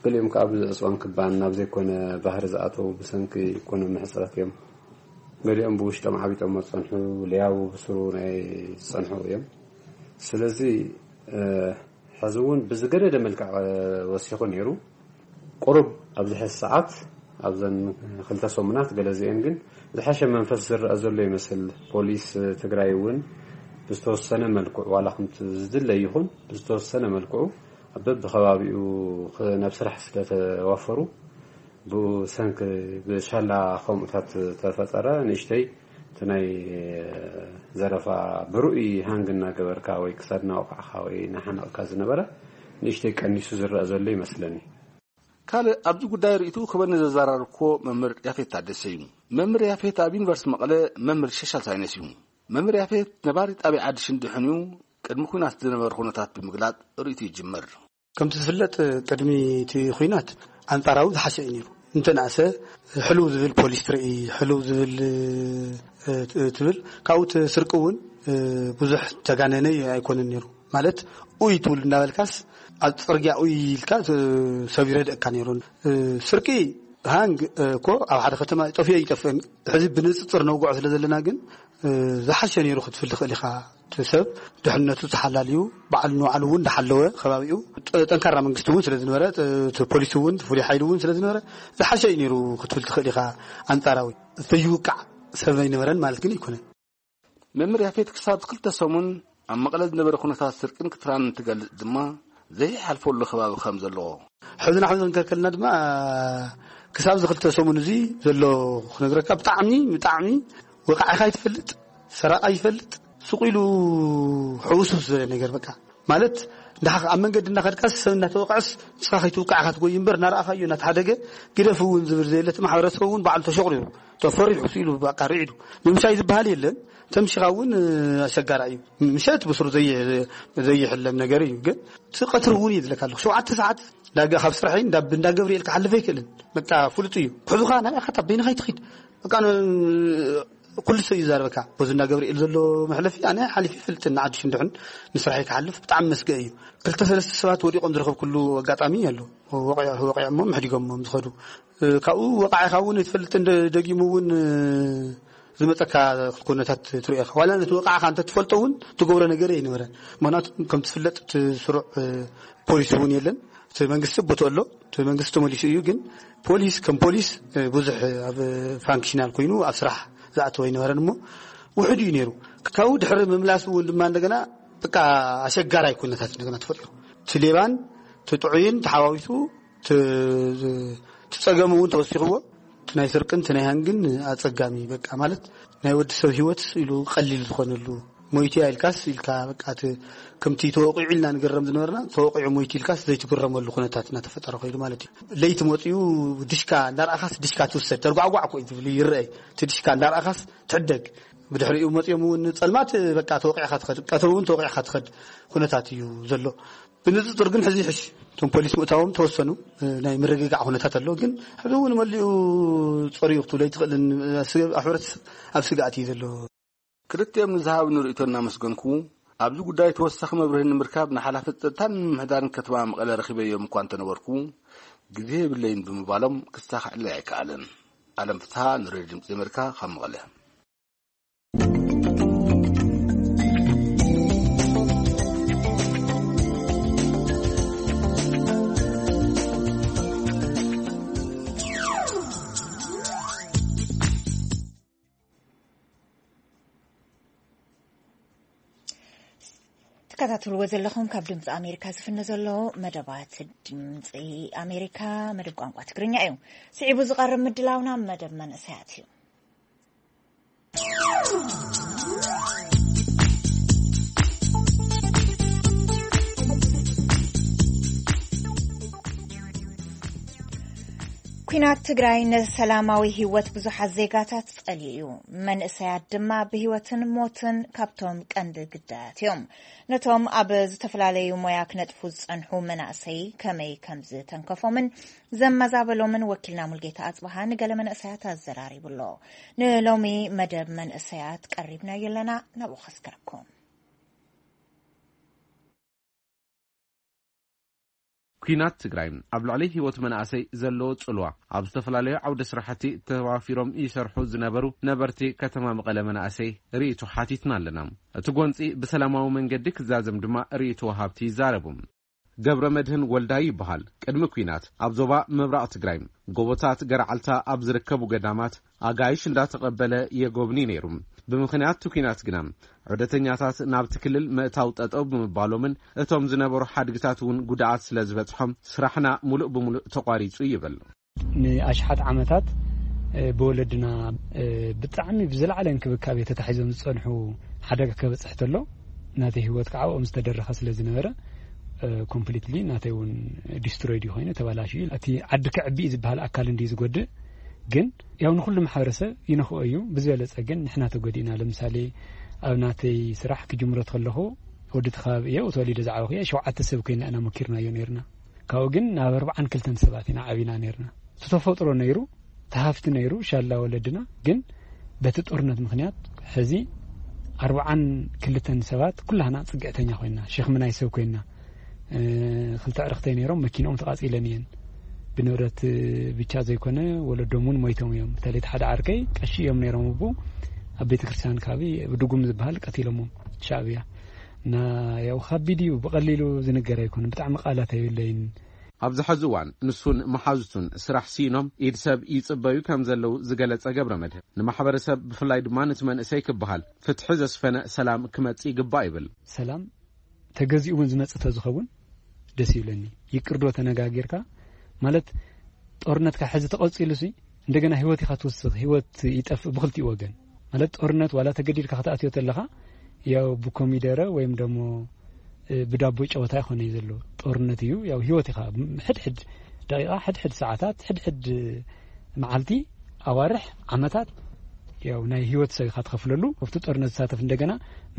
ገሊኦም ከዓ ብዕፅዋን ክባን ናብ ዘይኮነ ባህሪ ዝኣተዉ ብሰንኪ ኢኮኖሚ ሕፅረት እዮም። ገሊኦም ብውሽጦም ዓቢጦም ዝፀንሑ፣ ለያቡ ብስሩ ናይ ዝፀንሑ እዮም። ስለዚ፣ እ፣ ሕዚ እውን ብዝገደደ መልክዕ፣ እ፣ ወሲኹ ነይሩ። ቁሩብ ኣብዚ ሕዚ ሰዓት፣ ኣብዘን ክልተ ሰሙናት ገለ እዚአን ግን ዝሐሸ መንፈስ ዝረአ ዘሎ ይመስል። ፖሊስ ትግራይ እውን ብዝተወሰነ መልክዑ፣ ዋላ ከምቲ ዝድለ ይኹን፣ ብዝተወሰነ መልክዑ ኣብ በብኸባቢኡ ኽ-፣ ናብ ስራሕ ስለተዋፈሩ፣ ብሰንኪ ብሻላ ከምኡታት ተፈጠረ ንእሽተይ እቲ ናይ ዘረፋ ብርኡይ ሃንግ እናገበርካ ወይ ክሳድ እናወቃዕካ ወይ እናሓነቕካ ዝነበረ ንእሽተይ ቀኒሱ ዝረአ ዘሎ ይመስለኒ። ካልእ ኣብዚ ጉዳይ ርእይትኡ ክበኒ ዘዘራረብክዎ መምህር ያፌት ታደሰ እዩ። መምህር ያፌት ኣብ ዩኒቨርሲቲ መቐለ መምህር ሶሻል ሳይንስ እዩ። መምህር ያፌት ነባሪ ጣብያ ዓዲ ሽንዲ ሕንዩ ቅድሚ ኲናት ዝነበረ ኩነታት ብምግላጽ ርእይቱ ይጅምር። ከምቲ ዝፍለጥ ቅድሚ እቲ ኲናት ኣንጻራዊ ዝሓሸ እዩ ነይሩ። እንተንኣሰ ሕልው ዝብል ፖሊስ ትርኢ፣ ሕልው ዝብል፣ እ፣ ት-፣ ትብል። ካብኡ እቲ ስርቂ እውን፣ እ፣ ብዙሕ ተጋነነ ኣይኮነን ነይሩ። ማለት ኡይ ትብል እንዳበልካስ ኣብ ጽርግያ ኡይ ኢልካ ት-፣ ሰብ ይረድእካ ነይሩ። እ፣ ስርቂ ሃንግ፣ እ፣ እኮ ኣብ ሓደ ከተማ ጠፊኦ ይጠፍእን። ሕዚ ብንጽጽር ነውግዖ ስለ ዘለና ግን፣ እ፣ ዝሓሸ ነይሩ ክትብል ትኽእል ኢኻ። እቲ ሰብ ድሕነቱ ተሓላልዩ፣ ባዕሉ ንባዕሉ እውን እንዳሓለወ፣ ከባቢኡ ጥ-፣ ጠንካራ መንግስቲ እውን ስለ ዝነበረ፣ ጥ-፣ እቲ ፖሊስ እውን፣ እቲ ፍሉይ ሓይሊ እውን ስለ ዝነበረ፣ ዝሓሸ እዩ ነይሩ ክትብል ትኽእል ኢኻ። ኣንጻራዊ ዘይውቃዕ ሰብ ኣይነበረን ማለት ግን ኣይኮነን። መምህር ያፌት ክሳብ ክልተ ሰሙን ኣብ መቐለ ዝነበረ ኩነታት ስርቅን ክትራን እንትገልጽ ድማ፣ ዘይሓልፈሉ ከባቢ ከም ዘለዎ። ሕዚ ንሕዚ ክንከልከልና ድማ፣ ክሳብ እዚ ክልተ ሰሙን እዚ ዘሎ ክነግረካ፣ ብጣዕሚ፣ ብጣዕሚ ወቃዒኻ ይትፈልጥ፣ ሰራቕ ኣይፈልጥ፣ ስቕ ኢሉ ሕውስውስ ዝበለ ነገር በቃ። ማለት፣ እንዳ-፣ ኣብ መንገዲ እናኸድካስ ሰብ እናተወቅዐስ ንስኻ ከይትውቃዕ ኢኻ ትጎይ እምበር፣ እናረኣኻዮ እናተሓደገ ግደፍ እውን ዝብል ዘየለ፣ እቲ ማሕበረሰብ እውን ባዕሉ ተሸቑሪሩ፣ ተፈሪሑ፣ ስኢሉ፣ በቃ ርዒዱ። ምምሻይ ዝበሃል የለን። ተምሽኻ እውን፣ እ፣ ኣሸጋራይ እዩ። ምሸት ብስሩ ዘይ-፣ ዘይሕለም ነገር እዩ። ግን እቲ ቀትሪ እውን እዩ ዝለካ ኣለኹ። ሸውዓተ ሰዓት ዳጋ ካብ ስራሐይ እንዳ፣ እንዳ ገብርኤል ክሓልፍ ኣይክእልን። በቃ ፍሉጥ እዩ። ክሕዙኻ ናበይ ኢኻ፣ በይንኻ ኣይትኺድ። በቃ ን-፣ ኩሉ ሰብ እዩ ዝዛረበካ። በዚ እንዳ ገብርኤል ዘሎ መሕለፊ ኣነ ሓሊፈ ይፈልጥን፣ ንዓዲ ሽንድሕን ንስራሐይ ክሓልፍ ብጣዕሚ መስገእ እዩ። ክልተ ሰለስተ ሰባት ወዲቖም ዝረኸብኩሉ ኣጋጣሚ ኣሎ። ወቂዖ-፣ ወቂዖሞም ሕዲጎሞም ዝኸዱ። እ፣ ካብኡ ወቃዒኻ እውን ኣይትፈልጥን፣ ደ-፣ ደጊሙ እውን፣ እ፣ ዝመፀካ ኩነታት ትሪኦ ኢኻ። ዋላ ነቲ ወቃዕኻ እንተትፈልጦ እውን ትገብሮ ነገር ኣይነበረን። ምኽንያቱ ከም ትፍለጥ እቲ ስሩዕ፣ እ፣ ፖሊስ እውን የለን። እቲ መንግስቲ ቦትኡ ኣሎ። እቲ መንግስቲ ተመሊሱ እዩ። ግን ፖሊስ ከም ፖሊስ፣ እ፣ ብዙሕ ኣብ ፋንክሽናል ኮይኑ ኣብ ስራሕ ዝኣተወ ኣይነበረን እሞ ውሕድ እዩ ነይሩ። ካብኡ ድሕሪ ምምላሱ እውን ድማ እንደገና በቃ ኣሸጋራይ ኩነታት እንደገና ተፈጢሩ። እቲ ሌባን እቲ ጥዑይን ተሓዋዊሱ እቲ፣ እቲ ጸገም እውን ተወሲኽዎ። እቲ ናይ ስርቅን እቲ ናይ ሃንግን ኣጸጋሚ በቃ ማለት ናይ ወዲ ሰብ ህይወት ኢሉ ቀሊል ዝኾነሉ ሞይቲ ኢልካስ ኢልካ በቃ እቲ ከምቲ ተወቂዑ ኢልና ንግረም ዝነበርና ተወቂዑ ሞይቲ ኢልካስ ዘይትግረመሉ ኩነታት እናተፈጠረ ኮይኑ ማለት እዩ። ለይቲ መፅኡ ድሽካ እንዳረኣኻስ ድሽካ ትውሰድ ተርጓዕጓዕ እኮ እዩ ዝብል ይረኣይ። እቲ ድሽካ እንዳረኣኻስ ትሕደግ። ብድሕሪኡ መፅኦም እውን ጸልማት በቃ ተወቂዕካ ትኸድ፣ ቀትሪ እውን ተወቂዕካ ትኸድ ኩነታት እዩ ዘሎ። ብንፅፅር ግን ሕዚ ይሕሽ። እቶም ፖሊስ ምእታዎም ተወሰኑ ናይ ምርግጋዕ ኩነታት ኣሎ። ግን ሕዚ እውን መሊኡ ጸርዩ ክትብሎ ኣይትኽእልን። ኣብ ስገ-፣ ኣብ ሕብረተሰብ ኣብ ስግኣት እዩ ዘሎ። ክልቲኦም ንዝሃብኒ ርእይቶ እናመስገንኩ፣ ኣብዚ ጉዳይ ተወሳኺ መብርሂ ንምርካብ ንሓላፊ ጸጥታን ምምሕዳርን ከተማ መቐለ ረኺበዮም እኳ እንተነበርኩ፣ ግዜ የብለይን ብምባሎም ክሳኽዐለይ ኣይከኣለን። ኣለም ፍስሃ፣ ንሬድዮ ድምጺ ኣሜሪካ፣ ካብ መቐለ። ትከታተልዎ ዘለኹም ካብ ድምፂ ኣሜሪካ ዝፍነ ዘሎ መደባት ድምፂ ኣሜሪካ፣ መደብ ቋንቋ ትግርኛ እዩ። ስዒቡ ዝቐርብ ምድላውና መደብ መንእሰያት እዩ። ኲናት ትግራይ ንሰላማዊ ህይወት ብዙሓት ዜጋታት ጸልዩ እዩ። መንእሰያት ድማ ብህይወትን ሞትን ካብቶም ቀንዲ ግዳያት እዮም። ነቶም ኣብ ዝተፈላለዩ ሞያ ክነጥፉ ዝጸንሑ መናእሰይ ከመይ ከም ዝተንከፎምን ዘመዛበሎምን ወኪልና ሙልጌታ ኣጽብሃ ንገለ መንእሰያት ኣዘራሪቡ ኣሎ። ንሎሚ መደብ መንእሰያት ቀሪብናዮ ኣለና፣ ናብኡ ከስከረኩም። ኲናት ትግራይ ኣብ ልዕሊ ህይወት መናእሰይ ዘለዎ ጽልዋ፣ ኣብ ዝተፈላለዩ ዓውደ ስራሕቲ ተዋፊሮም ይሰርሑ ዝነበሩ ነበርቲ ከተማ መቐለ መናእሰይ ርእይቶ ሓቲትና ኣለና። እቲ ጎንጺ ብሰላማዊ መንገዲ ክዛዘም ድማ ርእይቶ ወሃብቲ ይዛረቡ። ገብረ መድህን ወልዳይ ይበሃል። ቅድሚ ኲናት ኣብ ዞባ ምብራቕ ትግራይ ጎቦታት ገርዓልታ ኣብ ዝርከቡ ገዳማት ኣጋይሽ እንዳተቐበለ የጎብኒ ነይሩ። ብምኽንያት እቲ ኲናት ግና ዑደተኛታት ናብቲ ክልል ምእታው ጠጠው ብምባሎምን እቶም ዝነበሩ ሓድግታት እውን ጉድኣት ስለ ዝበፅሖም ስራሕና ሙሉእ ብሙሉእ ተቋሪፁ ይብል። ንኣሽሓት ዓመታት፣ እ፣ ብወለድና፣ እ፣ ብጣዕሚ ብዝለዓለ እንክብካቤ ተታሒዞም ዝጸንሑ ሓደጋ ከበጽሕ ተሎ ናተይ ህይወት ከዓ ኣብኦም ዝተደረኸ ስለ ዝነበረ፣ እ፣ ኮምፕሊትሊ ናተይ እውን ዲስትሮይድ እዩ ኮይኑ ተባላሽዩ። እቲ ዓዲ ክዕቢ እዩ ዝበሃል ኣካል እንድዩ ዝጎድእ፣ ግን ያው ንኹሉ ማሕበረሰብ ይነኽኦ እዩ። ብዝበለጸ ግን ንሕና ተጎዲእና። ለምሳሌ ኣብ ናተይ ስራሕ ክጅምሮ ተለኹ ወዲ እቲ ከባቢ እየ፣ ተወሊደ ዝዓበኹ እየ። ሸውዓተ ሰብ ኮይና ኢና ሞኪርናዮ ነይርና። ካብኡ ግን ናብ ኣርባዓን ክልተን ሰባት ኢና ዓቢና ነይርና። እቲ ተፈጥሮ ነይሩ፣ እቲ ሃፍቲ ነይሩ፣ ሻላ ወለድና። ግን በቲ ጦርነት ምኽንያት ሕዚ ኣርባዓን ክልተን ሰባት ኩላህና ጽግዕተኛ ኮይና፣ ሸኽሚ ናይ ሰብ ኮይና። እ፣ ክልተ ኣዕርኽተይ ነይሮም፣ መኪንኦም ተቓጺለን እየን። ብንብረት ብቻ ዘይኮነ ወለዶም እውን ሞይቶም እዮም። በተለይ እቲ ሓደ ዓርከይ ቀሺ እዮም ነይሮም፣ እቡ ኣብ ቤተ ክርስቲያን ከባቢ ድጉም ዝበሃል ቀቲሎሞም ሻዕብያ። እና ያው ከቢድ እዩ፣ ብቐሊሉ ዝንገር ኣይኮነን። ብጣዕሚ ቃላት ኣይብለይን። ኣብዚ ሕዚ እዋን ንሱን መሓዙቱን ስራሕ ስኢኖም ኢድ ሰብ ይጽበዩ ከም ዘለዉ ዝገለጸ ገብረ መድህን፣ ንማሕበረሰብ ብፍላይ ድማ ነቲ መንእሰይ ክበሃል ፍትሒ ዘስፈነ ሰላም ክመጽእ ይግባእ ይብል። ሰላም ተገዚኡ እውን ዝመጽእ ተዝኸውን ደስ ይብለኒ። ይቅርዶ ተነጋጊርካ ማለት ጦርነትካ ሕዚ ተቐጺሉ ሲ እንደገና ህይወት ኢኻ ትውስኽ፣ ህይወት ይጠፍእ ብክልቲኡ ወገን። ማለት ጦርነት ዋላ ተገዲድካ ክትኣትዮ ተለኻ ያው ብኮሚደረ ወይም ደሞ፣ እ፣ ብዳቦ ጨወታ ይኾነ እዩ ዘሎ። ጦርነት እዩ ያው ህይወት ኢኻ። ሕድሕድ ደቂቓ፣ ሕድሕድ ሰዓታት፣ ሕድሕድ መዓልቲ፣ ኣዋርሕ፣ ዓመታት ያው ናይ ህይወት ሰብ ኢኻ ትኸፍለሉ። ኣብቲ ጦርነት ዝሳተፍ እንደገና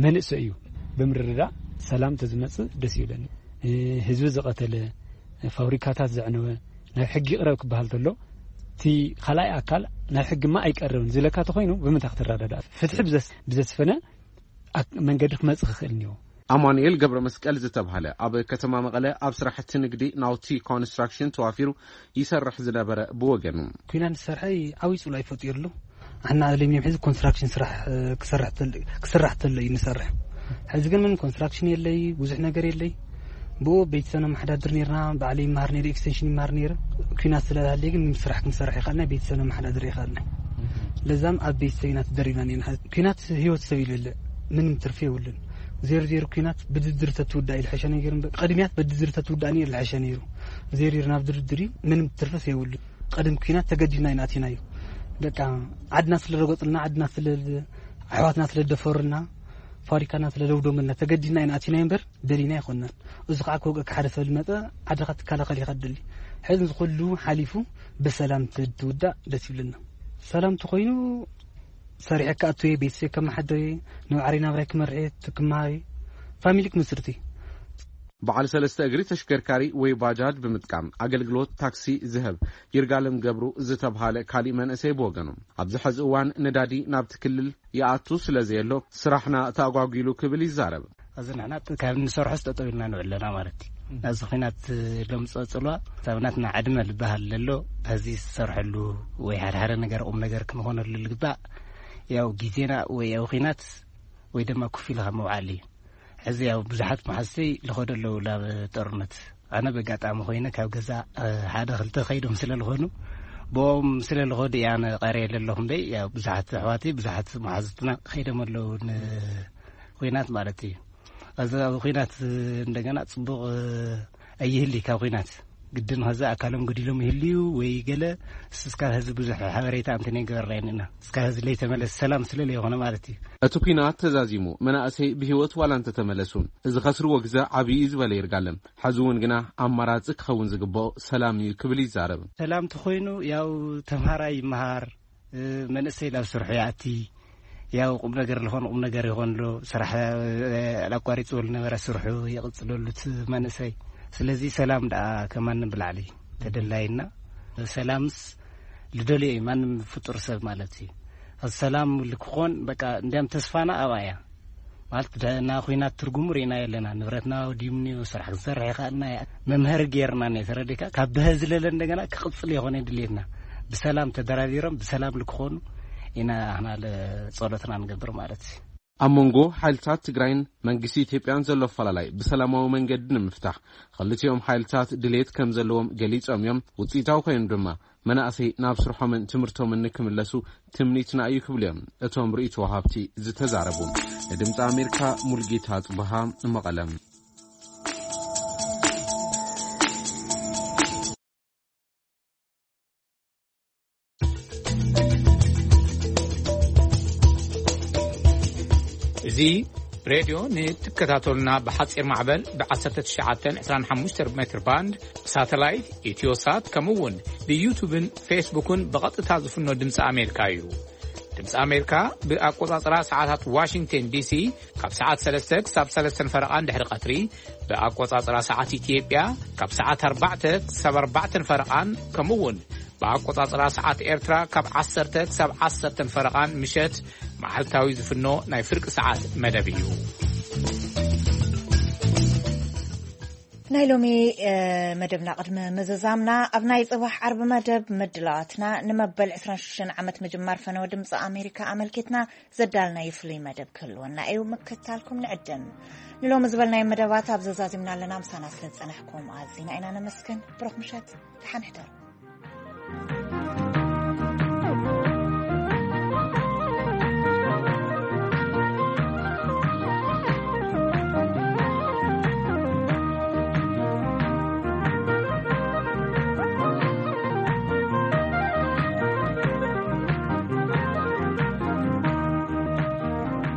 መንእሰይ እዩ። ብምርድዳእ ሰላም ተዝመጽእ ደስ ይብለኒ። እ፣ ህዝቢ ዝቐተለ፣ ፋብሪካታት ዘዕነወ ናብ ሕጊ ይቕረብ ክበሃል ተሎ፣ እቲ ካልኣይ ኣካል ናብ ሕጊማ ኣይቀርብን ዝለካ ተኾይኑ ብምንታይ ክትረዳዳእ? ፍትሒ ብዘስ-፣ ብዘስፈነ ኣክ-፣ መንገዲ ክመጽእ ክኽእል እኒዎ። ኣማኑኤል ገብረ መስቀል ዝተብሃለ ኣብ ከተማ መቐለ ኣብ ስራሕቲ ንግዲ ናውቲ ኮንስትራክሽን ተዋፊሩ ይሰርሕ ዝነበረ ብወገኑ፣ ኩናት ዝሰርሐ ዓብዪ ጽልዋ ይፈጢሩሉ። ኣና ኣለሚም ሕዚ ኮንስትራክሽን ስራሕ፣ እ፣ ክሰርሕ ተል-፣ ክስራሕ ተሎ እዩ ንሰርሕ። ሕዚ ግን ምን ኮንስትራክሽን የለይ፣ ብዙሕ ነገር የለይ። ብኡ ቤተሰብና መሓዳድር ነርና፣ ባዕለይ ይመሃር ነይረ፣ ኤክስቴንሽን ይመሃር ነይረ። ኩናት ስለዝሃለየ ግን ስራሕ ክንሰርሕ ይኸኣልና፣ ቤተሰብና መሓዳድር ይኸኣልና። ለዛም ኣብ ቤተሰብ ኢና ተደሪብና ነርና። ኩናት ህይወት ሰብ ይልብልዕ፣ ምንም ትርፊ የብሉን። ዜሮ ዜሮ ኩናት ብድርድር ተትውዳእ ይልሐሸ ነገር እምበር፣ ቅድሚያት ብድርድር ተትውዳእ ነይሩ ይልሐሸ ነይሩ። ዜሮ ዜሮ ናብ ድርድር እዩ፣ ምንም ትርፍስ የብሉን። ቀደም ኩናት ተገዲድና ኢና ኣቲናዮ። በቃ ዓድና ስለ ረገጹልና፣ ዓድና ስለ፣ ኣሕዋትና ስለ ደፈሩና፣ ፋብሪካና ስለ ደውደሙልና ተገዲድና ኢና ኣቲናዮ እምበር ደሊና ኣይኮንናን። እዚ ከዓ ክወግአካ ሓደ ሰብ ዝመጸ ዓድኻ ትከላኸል ኢኻ ትደሊ። ሕዚ እዚ ኩሉ ሓሊፉ ብሰላም ትውዳእ ደስ ይብለና። ሰላም ተኾይኑ ሰሪሐ ክኣቱ እየ፣ ቤተሰብ ከመሓድር እየ፣ ንባዕለይ ናብራይ ክመርሕ እየ፣ ክመሃር እየ፣ ፋሚሊ ክምስርት እየ። በዓል ሰለስተ እግሪ ተሽከርካሪ ወይ ባጃጅ ብምጥቃም ኣገልግሎት ታክሲ ዝህብ ይርጋለም ገብሩ ዝተብሃለ ካሊእ መንእሰይ ብወገኑ፣ ኣብዚ ሕዚ እዋን ነዳዲ ናብቲ ክልል ይኣቱ ስለ ዘየሎ ስራሕና ተኣጓጒሉ ክብል ይዛረብ። እዚ ንሕና ጥ-፣ ካብ ንሰርሖስ ጠጠው ኢልና ንውዕል ኣለና ማለት እዩ። ናብዚ ኹናት ለምፅኦ ፅልዋ፣ ሳብናትና ዕድመ ዝበሃል ዘሎ፣ ሕዚ ዝሰርሐሉ ወይ ሓደ ሓደ ነገር ቁም ነገር ክንኾነሉ ልግባእ፣ ያው ግዜና ወይ ኣብ ኹናት ወይ ድማ ኮፍ ኢልካ ምውዓል እዩ። ሕዚ ያው ብዙሓት መሓዝተይ ልኸዱ ኣለዉ ናብ ጦርነት። ኣነ በጋጣሚ ኮይነ ካብ ገዛ፣ እ፣ ሓደ ክልተ ከይዶም ስለ ልኾኑ፣ ብኦም ስለ ልኸዱ እየ ኣነ ቀርየ ዘለኹ እምበይ፣ ያው ብዙሓት ኣሕዋተይ፣ ብዙሓት መሓዙትና ከይዶም ኣለዉ ንኹናት ማለት እዩ። እዚ ኣብ ኹናት እንደገና ጽቡቕ፣ እ፣ ኣይህሊ ካብ ኹናት። ግድን ኸዚ ኣካሎም ጎዲሎም ይህልዩ ወይ ገለ፣ እስካብ ኸዚ ብዙሕ ሓበሬታ እንተነይገበርና ኢና። እስካብ ኸዚ ለይተመለስ ሰላም ስለ ለይኾነ ማለት እዩ። እቲ ኲናት ተዛዚሙ፣ መናእሰይ ብህይወት ዋላ እንተተመለሱ፣ እዚ ኸስርዎ ግዘ ዓብዪ እዩ ዝበለ ይርጋለም፣ ሕዚ እውን ግና ኣማራጺ ክኸውን ዝግብኦ ሰላም እዩ ክብል ይዛረብ። ሰላም ተኾይኑ፣ ያው ተምሃራይ ይመሃር፣ እ፣ መንእሰይ ናብ ስርሑ ይኣቲ፣ ያው ቁም ነገር ዝኾነ ቁም ነገር ይኾን ኣሎ። ስራሕ፣ እ፣ ኣቋሪጽዎ ዝነበረ ስርሑ ይቕጽለሉ እቲ መንእሰይ። ስለዚ ሰላም ደኣ ከማንም ብላዕሊ ተደላይና። ሰላምስ ልደልዮ እዩ ማንም ፍጡር ሰብ ማለት እዩ። ሰላም ልክኾን በቃ እንዲያም ተስፋና ኣብኣ እያ። ማለት ደ-፣ እና ኹናት ትርጉሙ ርኢናዮ ኣለና። ንብረትና ወዲሙ እኒኦ፣ ስራሕ ክንሰርሕ ይኸኣልና እያ። መምሀሪ ገይርና እኒኦ፣ ተረዲእካ? ካብ ብሀ ዝለለ እንደገና ክቕጽል ይኾነ ድሌትና። ብሰላም ተደራዲሮም ብሰላም ልክኾኑ ኢና ኣህና ለ-፣ ጸሎትና ንገብር ማለት እዩ። ኣብ መንጎ ሓይልታት ትግራይን መንግስቲ ኢትዮጵያን ዘሎ ኣፈላላይ ብሰላማዊ መንገዲ ንምፍታሕ ክልቲኦም ሓይልታት ድሌት ከም ዘለዎም ገሊጾም እዮም። ውጽኢታዊ ኮይኑ ድማ መናእሰይ ናብ ስርሖምን ትምህርቶምን ንክምለሱ ትምኒትና እዩ ክብሉ እዮም እቶም ርእይቶ ወሃብቲ ዝተዛረቡ። ንድምፂ ኣሜሪካ ሙልጌታ ጽበሃ መቐለም። እዚ ሬድዮ ንትከታተሉና ብሓጺር ማዕበል ብ1925 ሜትር ባንድ፣ ብሳተላይት፣ ኢትዮሳት፣ ከምኡ እውን ብዩቱብን ፌስቡክን ብቐጥታ ዝፍኖ ድምፂ ኣሜሪካ እዩ። ድምፂ ኣሜሪካ ብኣቆጻጽራ ሰዓታት ዋሽንግተን ዲሲ ካብ ሰዓት ሰለስተ ክሳብ ሰለስተን ፈረቓን ድሕሪ ቀትሪ፣ ብኣቆጻጽራ ሰዓት ኢትዮጵያ ካብ ሰዓት ኣርባዕተ ክሳብ ኣርባዕተን ፈረቓን፣ ከምኡ እውን ብኣቆጻጽራ ሰዓት ኤርትራ ካብ ዓሰርተ ክሳብ ዓሰርተን ፈረቓን ምሸት መዓልታዊ ዝፍኖ ናይ ፍርቂ ሰዓት መደብ እዩ። ናይ ሎሚ መደብና ቅድሚ ምዝዛምና፣ ኣብ ናይ ጽባሕ ዓርቢ መደብ ምድላዋትና ንመበል ዕስራን ሽዱሽተን ዓመት ምጅማር ፈነወ ድምፂ ኣሜሪካ ኣመልኪትና ዘዳልናዮ ፍሉይ መደብ ክህልወና እዩ። ምክትታልኩም ንዕድም። ንሎሚ ዝበልናዮ መደባት ኣብ ዘዛዚምና ኣለና። ምሳና ስለ ዝጸናሕኩም ኣዚና ኢና ነመስግን። ብሩኽ ምሸት፣ ደሓን ሕደሩ።